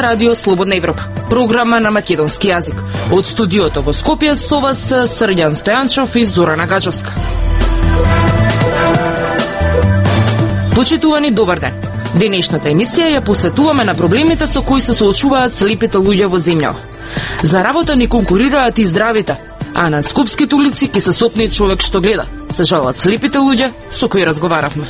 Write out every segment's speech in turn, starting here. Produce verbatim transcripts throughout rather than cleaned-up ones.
Радио Слободна Европа, програма на македонски јазик. Од студиото во Скопје со вас Срѓан Стојанчов и Зорана Гаджовска. Почитувани, добар ден. Денешната емисија ја посветуваме на проблемите со кои се соочуваат слепите луѓе во земјава. За работа ни конкурираат и здравите, а на скопските улици ке се сопне човек што гледа. Се жалат слепите луѓе со кои разговаравме.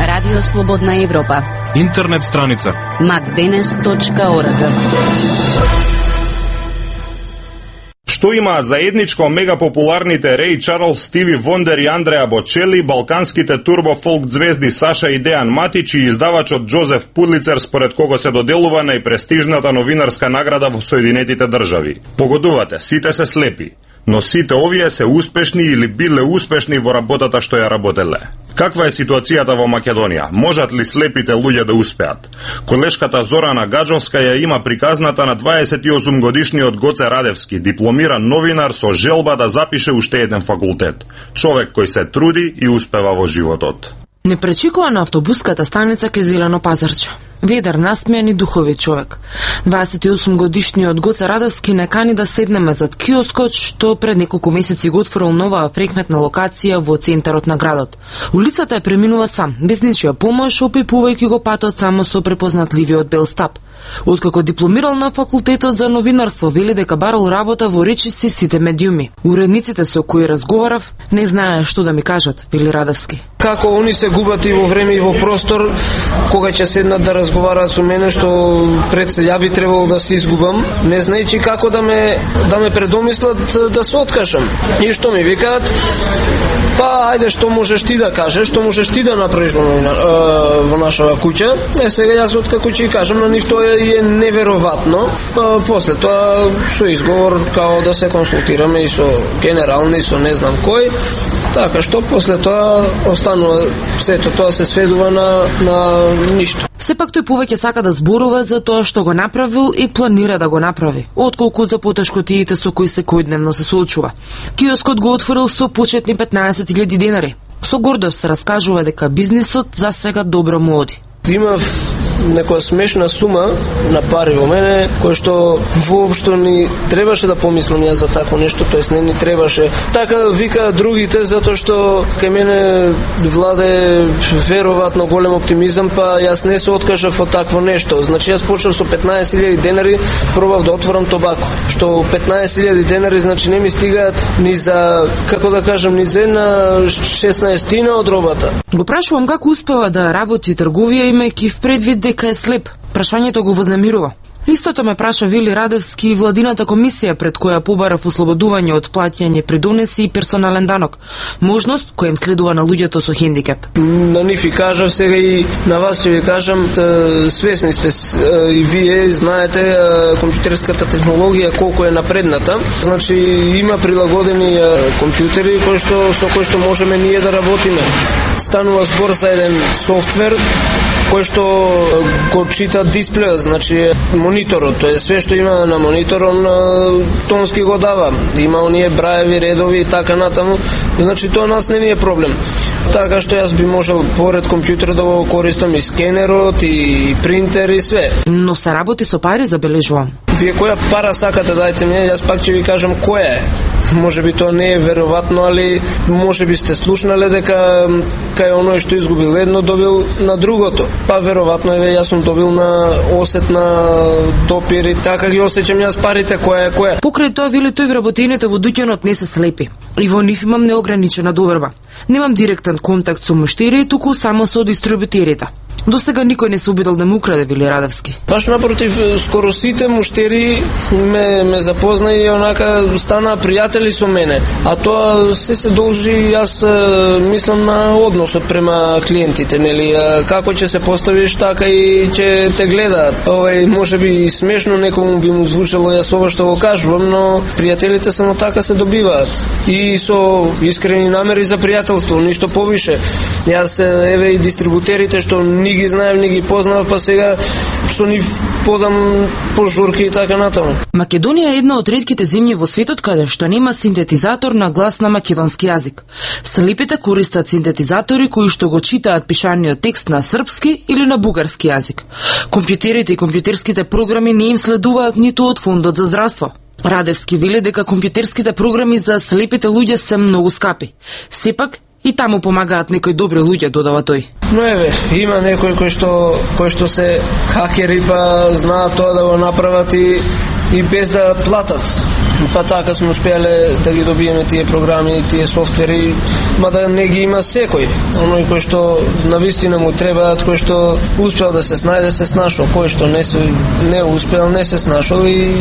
Радио Слободна Европа. Интернет страница макденес точка орг. Што имаат заедничко мегапопуларните Рей Чарлс, Стиви Вондер и Андреа Бочели, балканските турбофолк звезди Саша и Дејан Матич и издавачот Джозеф Пудлицер, според кого се доделува најпрестижната новинарска награда во Соединетите држави? Погодувате, сите се слепи, но сите овие се успешни или биле успешни во работата што ја работеле. Каква е ситуацијата во Македонија? Можат ли слепите луѓе да успеат? Колешката Зорана Гаджовска ја има приказната на дваесет и осум годишниот Гоце Радевски, дипломиран новинар со желба да запише уште еден факултет. Човек кој се труди и успева во животот. Не пречекува на автобуската станица кај Зелено пазарче. Ведар, насмејан и духовит човек. дваесет и осум годишниот Гоце Радевски не кани да седнеме зад киоскот што пред неколку месеци го отворил нова фреквентна локација во центарот на градот. Улицата е преминува сам, без ничија помош, опипувајќи го патот само со препознатливиот бел стап. Откако дипломирал на факултетот за новинарство, вели дека барал работа во речиси сите медиуми. Уредниците со кои разговарав не знае што да ми кажат, вели Радевски. Како они се губат и во време и во простор, кога ќе седнат да разговараат со мене, што пред се ја би требало да се изгубам, не знаејќи како да ме да ме предомислат да се откажам. И што ми викаат, па ајде што можеш ти да кажеш, што можеш ти да направиш во, во нашава куќа. Е сега јас откако ќе кажам на нив тоа е неверојатно. Па после тоа со изговор као да се консултираме и со генерални, со не знам кој. Така што после тоа останува сето тоа се сведува на на ништо. Сепак тој повеќе сака да зборува за тоа што го направил и планира да го направи, отколку за потешкотиите со кои секојдневно се соочува. Киоскот го отворил со почетни петнаесет илјади денари. Со гордост се раскажува дека бизнисот за сега добро му оди. Има некоја смешна сума на пари во мене, кој што воопшто ни требаше да помислам ја за такво нешто, тоест не ни требаше. Така вика другите, затоа што кај мене владе веројатно голем оптимизам, па јас не се откажав од такво нешто. Значи јас почнав со петнаесет илјади денари, пробав да отворам тобако. Што петнаесет илјади денари, значи не ми стигаат ни за, како да кажам, ни за една шеснаесеттина од робата. Го прашувам како успева да работи трговија имајќи в предвид дека е слеп. Прашањето го вознемирува. Истото ме праша Вили Радевски и владината комисија пред која побарав ослободување од плаќање придонеси и персонален данок. Можност која им следува на луѓето со хендикеп. На нив и кажав, сега и на вас ќе ви кажам, свесни сте и вие знаете компјутерската технологија колку е напредната. Значи има прилагодени компјутери кои што со кои што можеме ние да работиме. Станува збор за еден софтвер кој што го чита дисплејот, значи мониторот, тоа е све што има на монитор, он тонски го дава. Има оние браеви, редови и така натаму. Значи тоа нас не ни е проблем. Така што јас би можел поред компјутер да го користам и скенерот, и принтер и све. Но се работи со пари, забележувам. Вие која пара сакате дајте ми, јас пак ќе ви кажам која е. Може би тоа не е веројатно, али може би сте слушнале дека кај оној што изгубил едно, добил на другото. Па веројатно е, јас сум добил на осет на допир и така ги осеќам јас парите, која е која. Покрај тоа, вели тој, вработените во дуќанот не се слепи. И во нив имам неограничена доверба. Немам директен контакт со муштери, туку само со дистрибутерите. До сега никој не се обидел да му украде, вели Радевски. Баш напротив, скоро сите муштери ме, ме запозна и онака стана пријатели со мене. А тоа се се должи, јас мислам, на односот према клиентите, нели? Како ќе се поставиш, така и ќе те гледаат. Овај, може би смешно некому би му звучало јас ова што го кажувам, но пријателите само така се добиваат. И со искрени намери за пријателство, ништо повише. Јас, еве, и дистрибутерите што ни ги знаем, ни ги познав, па сега со нив подам по журки и така натаму. Македонија е една од ретките земји во светот каде што нема синтетизатор на глас на македонски јазик. Слепите користат синтетизатори кои што го читаат пишаниот текст на српски или на бугарски јазик. Компјутерите и компјутерските програми не им следуваат ниту од Фондот за здравство. Радевски вели дека компјутерските програми за слепите луѓе се многу скапи. Сепак и таму помагаат некои добри луѓе, додава тој. Но еве, има некои кои што кои што се хакери, па знаат тоа да го направат и, и без да платат. Па така сме успеале да ги добиеме тие програми, тие софтвери, мада не ги има секој. Оној кој што навистина му требаат, кој што успел да се снајде, се снашол, кој што не се не успел, не се снашол и,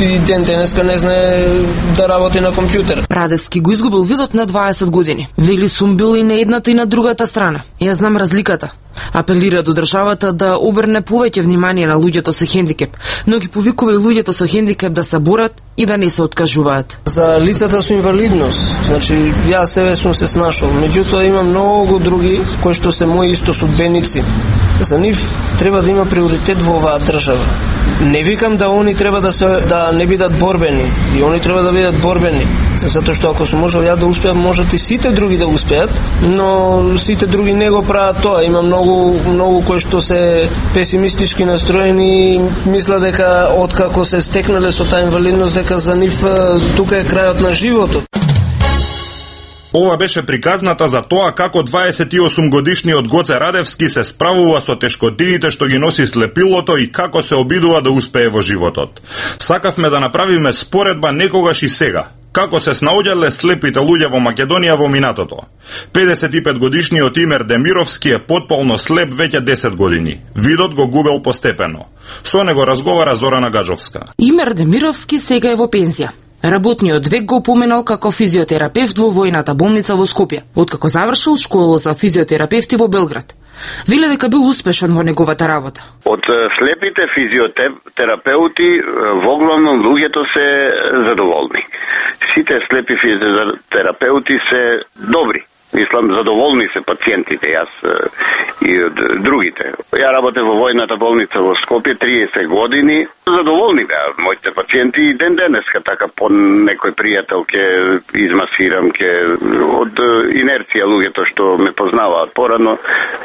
и ден денеска не знае да работи на компјутер. Радевски го изгубил видот на дваесет години. Вели сум бил и на едната и на другата страна. Ја знам разликата. Апелира до државата да обрне повеќе внимание на луѓето со хендикеп, но ги повикува и луѓето со хендикеп да се борат и да не се откажуваат. За лицата со инвалидност, значи јас себе сум се снашол, меѓутоа има многу други кои што се мои исто судбеници. За нив треба да има приоритет во оваа држава. Не викам да они треба да се да не бидат борбени, и они треба да бидат борбени, затоа што ако сум можел ја да успеам, можат и сите други да успеат, но сите други не го прават тоа. Има многу многу кои што се песимистички настроени, мислат дека откако се стекнале со таа инвалидност дека за нив тука е крајот на животот. Ова беше приказната за тоа како дваесет и осум годишниот Гоце Радевски се справува со тешкотиите што ги носи слепилото и како се обидува да успее во животот. Сакавме да направиме споредба некогаш и сега. Како се снаоѓале слепите луѓе во Македонија во минатото. педесет и пет годишниот Имер Демировски е потполно слеп веќе десет години. Видот го губел постепено. Со него разговара Зорана Гажовска. Имер Демировски сега е во пензија. Работниот век го поминал како физиотерапевт во војната болница во Скопје, откако завршил школа за физиотерапевти во Белград. Вели дека бил успешен во неговата работа. Од слепите физиотерапеути воглавном луѓето се задоволни. Сите слепи физиотерапеути се добри. Мислам, задоволни се пациентите, јас и од другите. Ја работев во војната болница во Скопје триесет години. Задоволни беа моите пациенти и ден денеска, така по некој пријател ке измасирам, ке од инерција луѓето што ме познаваат порано,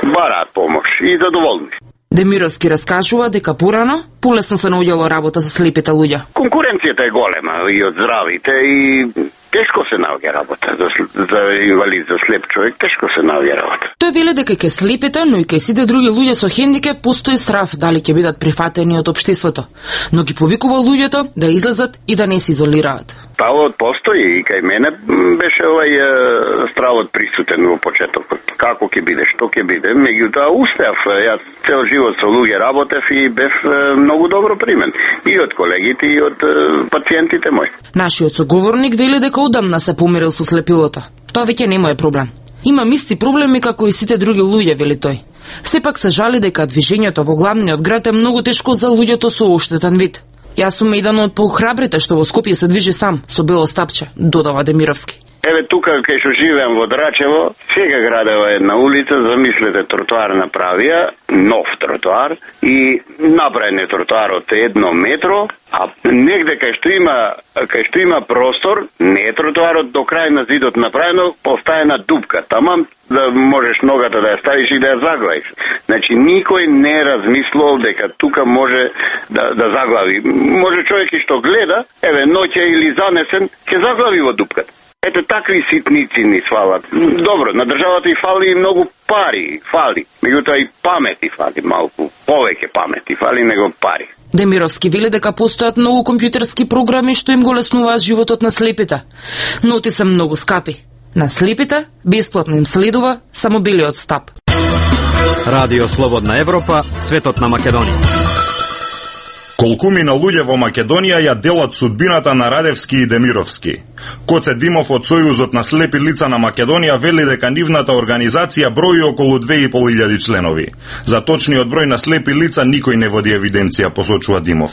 бараат помош и задоволни. Демировски раскажува дека порано полесно се наоѓало работа за слепите луѓе. Конкуренцијата е голема и од здравите и тешко се наоѓа работа за, за инвалид, за слеп човек, тешко се наоѓа работа. Тој вели дека кај слепите, но и кај сите други луѓе со хендикеп постои страв дали ќе бидат прифатени од општеството, но ги повикува луѓето да излезат и да не се изолираат. Стравот постои и кај мене беше овај стравот присутен во почетокот. Како ќе биде, што ќе биде, меѓутоа успеав. Јас цел живот со луѓе работев и бев многу добро примен и од колегите и од пациентите мои. Нашиот соговорник вели дека одамна се помирил со слепилото. Тоа веќе не му е проблем. Имам исти проблеми како и сите други луѓе, вели тој. Сепак се жали дека движењето во главниот град е многу тешко за луѓето со оштетен вид. Јас сум еден од поохрабрите што во Скопје се движи сам, со бело стапче, додава Демировски. Еве тука кај што живеам во Драчево, сега градева една улица, замислете, тротоар направија, нов тротоар и направен е тротоар од едно метро, а негде кај што има кај што има простор, не е тротоарот до крај на зидот направено, поставена дупка. Тамам да можеш ногата да ја ставиш и да ја заглавиш. Значи никој не размислувал дека тука може да да заглави. Може човек и што гледа, еве ноќе или занесен, ќе заглави во дупката. Ете такви ситници ни свалат. Добро, на државата и фали многу пари, фали. Меѓутоа и памети фали малку, повеќе памети фали него пари. Демировски вели дека постојат многу компјутерски програми што им го леснуваат животот на слепите, но ти се многу скапи. На слепите бесплатно им следува само белиот стап. Радио Слободна Европа, светот на Македонија. Колкумина луѓе во Македонија ја делат судбината на Радевски и Демировски. Коце Димов од Сојузот на слепи лица на Македонија вели дека нивната организација брои околу две и пол илјади членови. За точниот број на слепи лица никој не води евиденција, посочува Димов.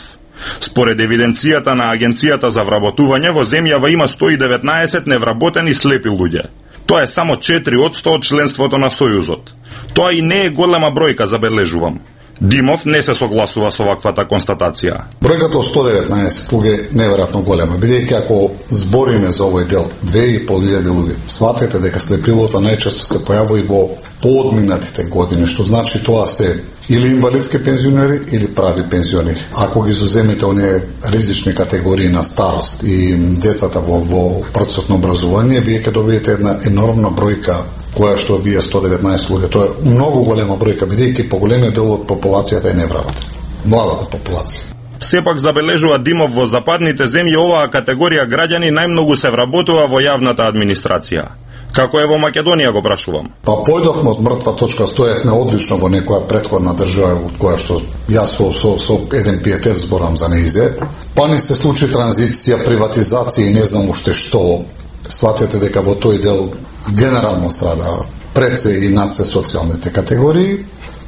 Според евиденцијата на Агенцијата за вработување, во земјава има сто и деветнаесет невработени слепи луѓе. Тоа е само четири одсто од членството на Сојузот. Тоа и не е голема бројка, забележувам. Димов не се согласува со ваквата констатација. Бројката од сто деветнаесет луѓе е неверојатно голема, бидејќи ако збориме за овој дел две и пол илјади луѓе, сватете дека слепилото најчесто се појавува и во поодминатите години, што значи тоа се или инвалидски пензионери или прави пензионери. Ако ги изуземете оние ризични категории на старост и децата во, во процесот на образование, вие ќе добиете една енормна бројка која што вие сто деветнаесет луѓе. Тоа е многу голема бројка, бидејќи поголемиот дел од популацијата е невработен. Младата популација. Сепак забележува Димов, во западните земји оваа категорија граѓани најмногу се вработува во јавната администрација. Како е во Македонија, го прашувам? Па појдовме од мртва точка, стоевме одлично во некоја претходна држава од која што јас со, со, со еден пиетет зборам за неизе. Па ни се случи транзиција, приватизација и не знам уште што. Сватете дека во тој дел генерално страда пред се и над се социјалните категории.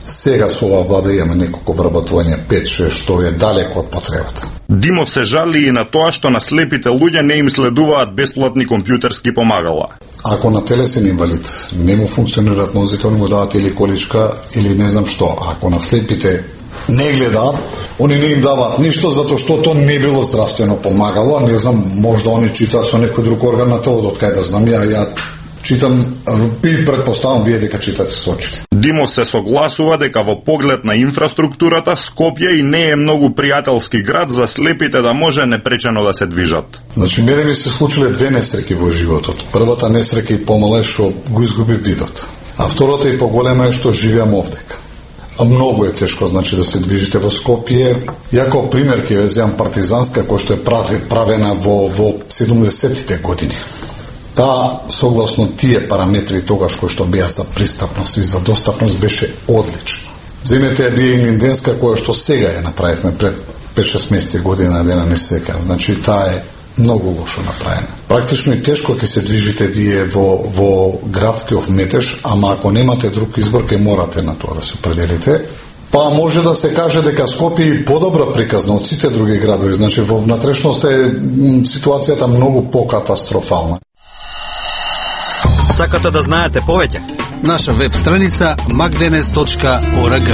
Сега со оваа влада имаме неколку вработување пет шест што е далеко од потребата. Димов се жали и на тоа што на слепите луѓе не им следуваат бесплатни компјутерски помагала. Ако на телесен инвалид не му функционираат нозите, они му дават или количка или не знам што. Ако на слепите не гледаат, они не им даваат ништо затоа што тоа не било здравствено помагало, не знам, можда они читаат со некој друг орган на телото, од кај да знам, ја, ја читам и предпоставам вие дека читате со очите. Димов се согласува дека во поглед на инфраструктурата Скопје и не е многу пријателски град за слепите да може непречено да се движат. Значи, мене ми се случиле две несреќи во животот. Првата несреќа и помала е што го изгубив видот, а втората и поголема е што живеам овдека. А многу е тешко, значи, да се движите во Скопје. Ја како пример ќе ве земам партизанска, која што е правена во, во седумдесеттите години. Таа, согласно тие параметри тогаш кои што беа за пристапност и за достапност, беше одлично. Земете ја вие и Линденска, која што сега ја направивме пред пет шест месеци, година дена не се сеќавам. Значи, таа е многу лошо направена. Практично и тешко ќе се движите вие во, во градскиот метеж, ама ако немате друг избор, ќе морате на тоа да се определите. Па може да се каже дека Скопје е подобра приказна од сите други градови. Значи, во внатрешност е ситуацијата многу покатастрофална. Сакате да знаете повеќе? Наша веб страница макденес точка орг.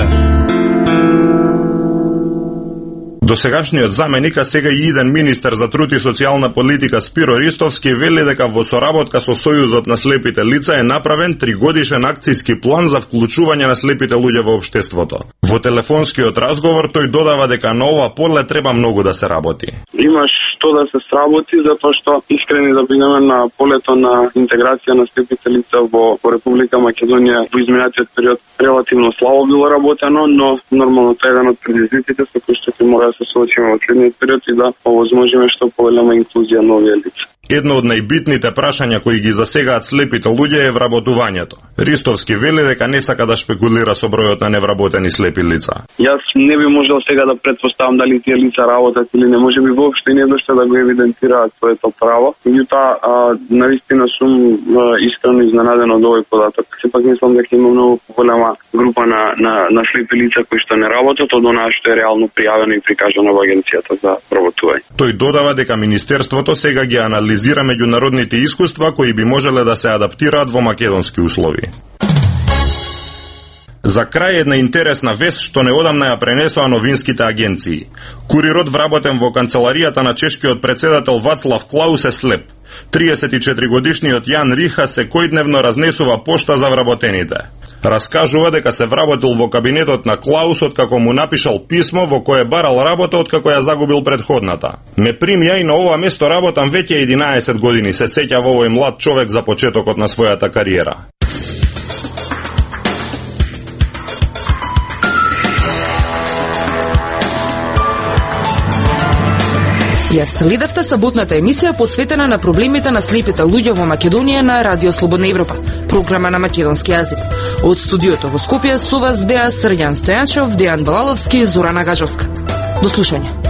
Досегашниот заменик, а сега и иден министер за труд и социјална политика Спиро Ристовски вели дека во соработка со Сојузот на слепите лица е направен тригодишен акцијски план за вклучување на слепите луѓе во општеството. Во телефонскиот разговор тој додава дека на ова поле треба многу да се работи. Имаш што да се сработи, затоа што искрени да бидеме на полето на интеграција на слепите лица во, во Република Македонија во изминатиот период релативно слабо било работено, но нормално тоа е еден од предизвиците со кои што ќе мора да се соочиме во следниот период и да овозможиме што поголема инклузија на овие лица. Едно од најбитните прашања кои ги засегаат слепите луѓе е вработувањето. Ристовски вели дека не сака да шпекулира со бројот на невработени слепи лица. Јас не би можел сега да предпоставам дали тие лица работат или не, може би воопшто не доште да го евидентираат своето право. Меѓутоа, навистина сум а, искрено изненаден од овој податок. Сепак мислам дека има многу голема група на, на, на слепи лица кои што не работат од онаа што е реално пријавено и прикажано во Агенцијата за вработување. Тој додава дека Министерството сега ги анализира меѓународните искуства кои би можеле да се адаптираат во македонски услови. За крај една интересна вест што неодамна ја пренесоа новинските агенции. Курирот вработен во канцеларијата на чешкиот председател Вацлав Клаус е слеп. триесет и четири годишниот Јан Риха секојдневно разнесува пошта за вработените. Раскажува дека се вработил во кабинетот на Клаус откако му напишал писмо во кое барал работа откако ја загубил предходната. Ме примја и на ова место работам веќе единаесет години, се сеќа во овој млад човек за почетокот на својата кариера. Ја следевте саботната емисија посветена на проблемите на слепите луѓе во Македонија на Радио Слободна Европа, програма на македонски јазик. Од студиото во Скопје со вас беа Срđan Стојанчев, Дејан Балаловски и Зорана Гажовска. До слушање.